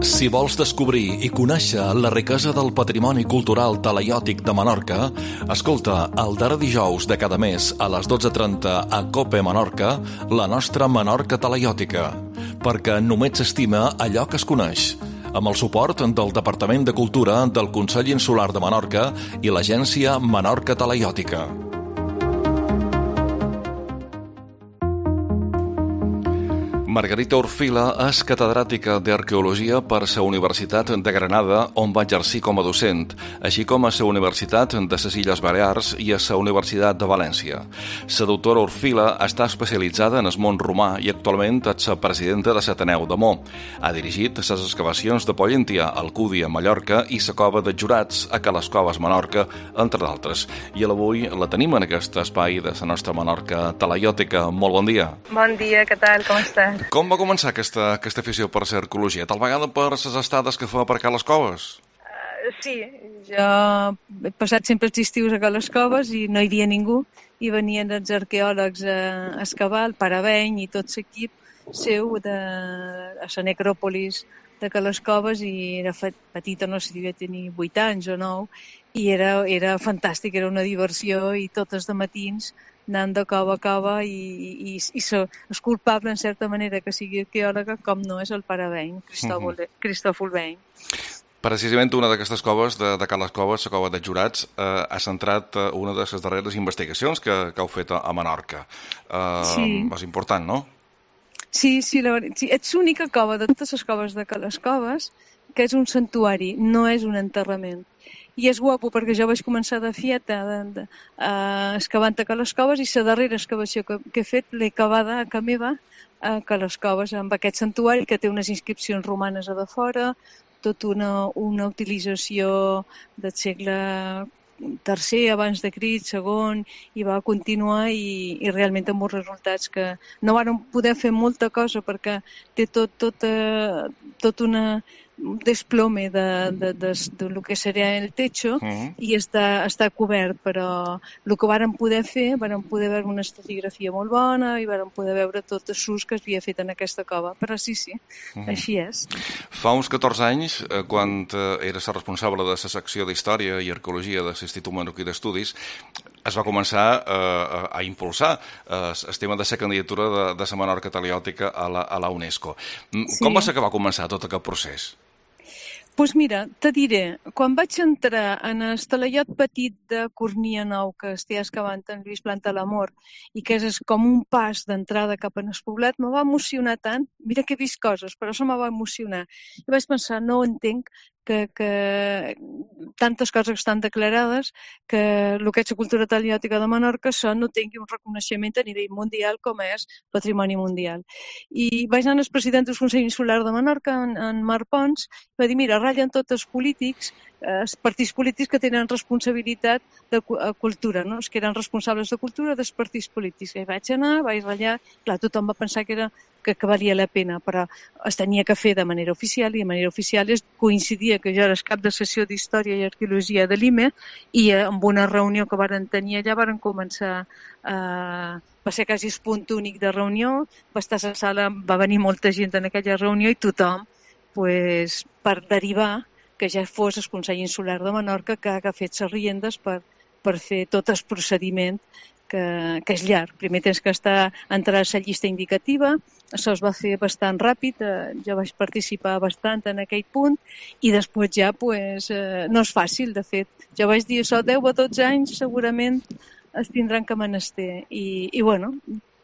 Si vols descobrir i conèixer la riquesa del patrimoni cultural talaiòtic de Menorca, escolta el darrer dijous de cada mes a les 12:30 a COPE Menorca, la nostra Menorca talaiòtica, perquè només s'estima allò que es coneix, amb el suport del Departament de Cultura del Consell Insular de Menorca i l'agència Menorca Talaiòtica. Margarita Orfila és catedràtica d'Arqueologia per la Universitat de Granada, on va exercir com a docent, així com a la Universitat de les Illes Balears i a la Universitat de València. La doctora Orfila està especialitzada en el món romà i actualment és la presidenta de l'Ateneu de Mo. Ha dirigit les excavacions de Pollentia, Alcúdia, Mallorca i la cova de Jurats a Cales Coves, Menorca, entre d'altres. I avui la tenim en aquest espai de la nostra Menorca talaiòtica. Molt bon dia. Bon dia, què tal? Com estàs? Com va començar aquesta afició per la arqueologia? Tal vegada per les estades que fa per Cales Coves? Sí, jo he passat sempre els estius a Cales Coves i no hi havia ningú, i venien els arqueòlegs a excavar el Paraveny i tot l'equip seu a la necròpolis de Cales Coves, i era petita, no sé si devia tenir 8 anys o 9, i era fantàstic, era una diversió, i tots de matins anant de cova a cova, i és culpable, en certa manera, que sigui arqueòloga, com no és el Paraveny, Cristòfol Veny. Precisament una d'aquestes coves, de Cales Coves, la cova de Jurats, ha centrat una de les darreres investigacions que heu fet a Menorca. Sí. És important, no? Sí, és l'única cova de totes les coves de Cales Coves que és un santuari, no és un enterrament. I és guapo perquè jo vaig començar de fieta excavant a Cales Coves, i la darrera excavació que he fet l'he acabada a casa meva a Cales Coves, amb aquest santuari que té unes inscripcions romanes a de fora, tota una utilització del segle tercer abans de Crist, segon, i va continuar, i realment amb uns resultats que no vàrem poder fer molta cosa perquè té tot un desplome de lo que seria el techo, i està cobert, però el que vàrem poder fer, vàrem poder veure una estratigrafia molt bona i vàrem poder veure tot el sus que es havia fet en aquesta cova, però sí, així és. Fa uns 14 anys, quan eres responsable de la secció d'Història i Arqueologia de l'Institut Menorquí d'Estudis, es va començar a impulsar el tema de la candidatura de la Menorca talaiòtica a la UNESCO. Com va ser que va començar tot aquest procés? Doncs mira, te diré, quan vaig entrar en el talaiot petit de Cornia Nou, que es té excavant en Lluís Plantalamor, i que és com un pas d'entrada cap en el poblat, me va emocionar tant. Mira que he vist coses, però això me va emocionar. I vaig pensar, no entenc que tantes coses estan declarades, que el que és la cultura talaiòtica de Menorca no tingui un reconeixement a nivell mundial com és patrimoni mundial. I vaig anar al president del Consell Insular de Menorca, en Marc Pons, i va dir, mira, ratllen tots els polítics, els partits polítics que tenen responsabilitat de cultura, no? Els que eren responsables de cultura dels partits polítics. I vaig anar, vaig ratllar, clar, tothom va pensar que valia la pena, però es tenia que fer de manera oficial, i de manera oficial coincidia que jo era el cap de sessió d'Història i Arqueologia de l'IME, i amb una reunió que varen tenir allà varen començar va ser quasi el punt únic de reunió, va estar a la sala, va venir molta gent en aquella reunió, i tothom, per derivar que ja fos el Consell Insular de Menorca que ha fet les riendes per fer tot el procediment, que és llarg. Primer tens que entrar a la llista indicativa, això es va fer bastant ràpid, jo vaig participar bastant en aquell punt, i després ja no és fàcil, de fet. Jo vaig dir, això 10 o 12 anys segurament es tindran que menester, i bueno...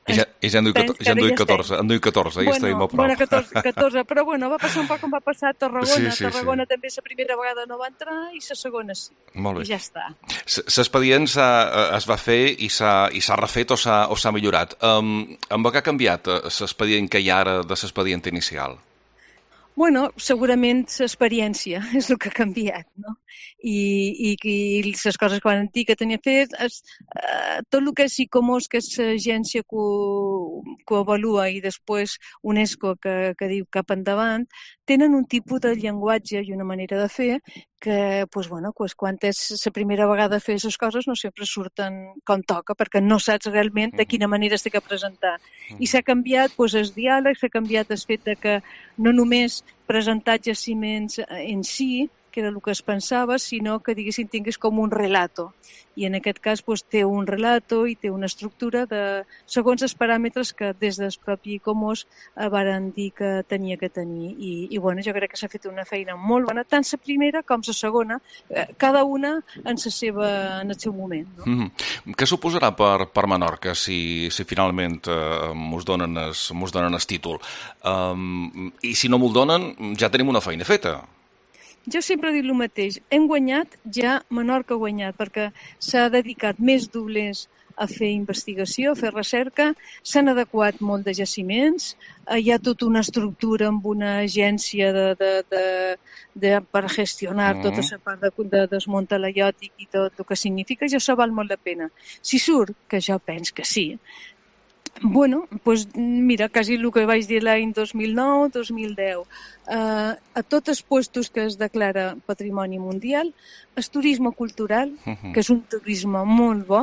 Ja en duia 14, ja estem a prop. Bueno, 14, però bueno, va passar un poc com va passar a Tarragona. Sí. Tarragona també la primera vegada no va entrar, i la segona sí. Molt bé. I ja està. L'expedient es va fer i s'ha refet o s'ha millorat. Amb què ha canviat l'expedient que hi ha ara de l'expedient inicial? Bueno, segurament l'experiència és el que ha canviat, no? I les coses que van dir que tenia fet, tot el que és ICOMOS, que és l'agència que ho avalua, i després UNESCO, que diu cap endavant, tenen un tipus de llenguatge i una manera de fer que quan és la primera vegada a fer aquestes coses no sempre surten com toca, perquè no saps realment de quina manera s'ha de presentar. I s'ha canviat el diàleg, s'ha canviat el fet de que no només presentar jaciments en si, que era el que es pensava, sinó que, diguéssim, tingués com un relato. I en aquest cas té un relato i té una estructura segons els paràmetres que des del propi ICOMOS varen dir que tenia que tenir. I jo crec que s'ha fet una feina molt bona, tant la primera com la segona, cada una en el seu moment. No? Què suposarà per Menorca si finalment mos donen el títol? I si no m'ho donen, ja tenim una feina feta. Jo sempre he dit el mateix, hem guanyat, ja Menorca ha guanyat, perquè s'ha dedicat més doblers a fer investigació, a fer recerca, s'han adequat molt de jaciments, hi ha tota una estructura amb una agència per gestionar tota la part de desmunt talaiòtic i tot el que significa, ja això val molt la pena. Si surt, que jo penso que sí, mira, quasi el que vaig dir l'any 2009-2010. A tots els puestos que es declara Patrimoni Mundial, el turisme cultural, que és un turisme molt bo,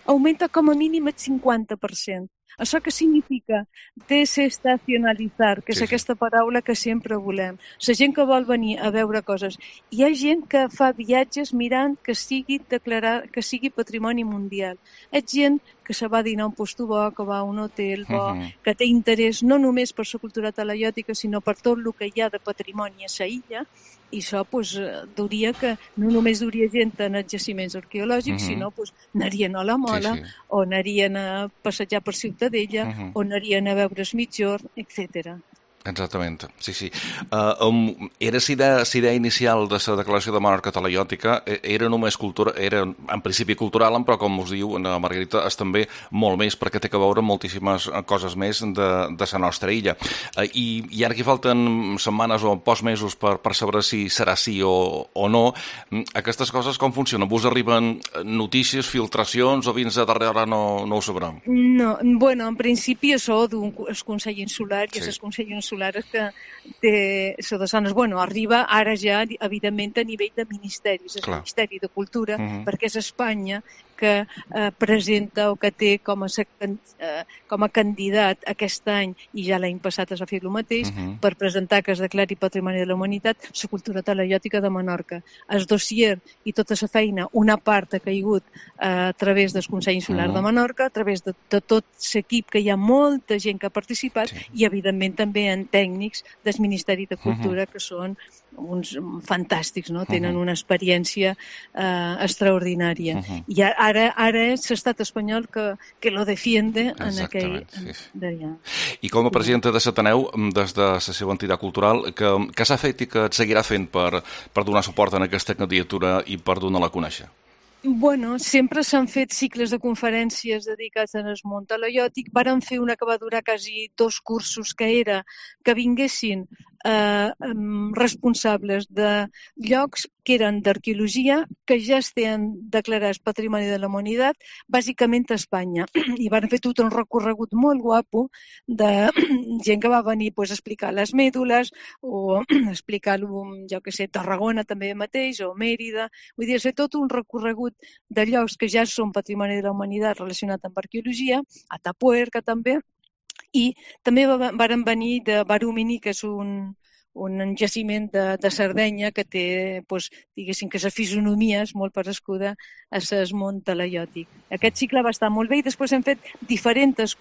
augmenta com a mínim el 50%. Això què significa? Desestacionalitzar, que és aquesta paraula que sempre volem. La gent que vol venir a veure coses. Hi ha gent que fa viatges mirant que sigui patrimoni mundial. És gent que se va a dinar a un puesto bo, que va a un hotel bo, que té interès no només per la cultura talaiòtica, sinó per tot el que hi ha de patrimoni a la illa, i això duria que no només duria gent en els jaciments arqueològics, sinó anarien a la Mola, o anarien a passejar per Ciutadella, o anarien a veure el Migjorn, etc. Exactament, sí. Era la idea inicial de la declaració de Menorca talaiòtica, era només cultura, era en principi cultural, però com us diu Margarita, és també molt més, perquè té que veure moltíssimes coses més de la nostra illa. I ara que falten setmanes o pocs mesos per saber si serà sí o no, aquestes coses com funcionen? Vos arriben notícies, filtracions, o fins a darrere no ho sabrem? No, en principi això del Consell Insular i el Consell Insular que té això de zones, arriba ara ja, evidentment, a nivell de ministeris, és el Ministeri de Cultura, perquè és Espanya que presenta o que té com a candidat aquest any, i ja l'any passat es va fer el mateix, per presentar que es declari Patrimoni de la Humanitat la cultura talaiòtica de Menorca. El dossier i tota la feina, una part ha caigut a través del Consell Insular de Menorca, a través de tot l'equip, que hi ha molta gent que ha participat, i evidentment també en tècnics del Ministeri de Cultura, que són uns fantàstics, no? Tenen una experiència extraordinària. I ara és l'estat espanyol que lo defiende en aquell... I com a presidenta de l'Ateneu, des de la seva entitat cultural, què s'ha fet i què et seguirà fent per donar suport a aquesta candidatura i per donar-la a conèixer? Sempre s'han fet cicles de conferències dedicats al món talaiòtic. Varen fer una que va durar quasi 2 cursos, que era que vinguessin responsables de llocs que eren d'arqueologia, que ja estan declarats Patrimoni de la Humanitat, bàsicament a Espanya. I van fer tot un recorregut molt guapo de gent que va venir a explicar les mèdules, o explicar, Tarragona també mateix, o Mèrida. Vull dir, fer tot un recorregut de llocs que ja són Patrimoni de la Humanitat relacionat amb arqueologia, a Tapuerca també, i també varen venir de Barumini, que és un jaciment de Sardenya que té, diguéssim, que la fisonomia és molt parescuda a l'Esmont talaiòtic. Aquest cicle va estar molt bé, i després hem fet diferents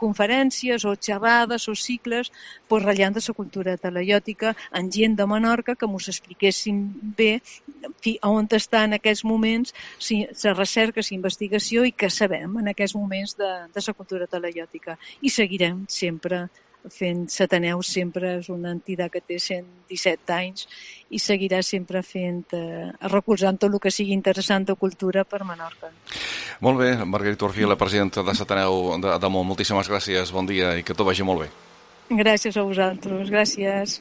conferències o xerrades o cicles ratllant de la cultura talaiòtica amb gent de Menorca que mos expliquessin bé on està en aquests moments la recerca, la investigació, i què sabem en aquests moments de la cultura talaiòtica. I seguirem sempre fent. L'Ateneu sempre és una entitat que té 117 anys i seguirà sempre recolzant tot el que sigui interessant de cultura per Menorca. Molt bé, Margarita Orfila, presidenta de l'Ateneu de Damunt, moltíssimes gràcies, bon dia i que tot vagi molt bé. Gràcies a vosaltres, gràcies.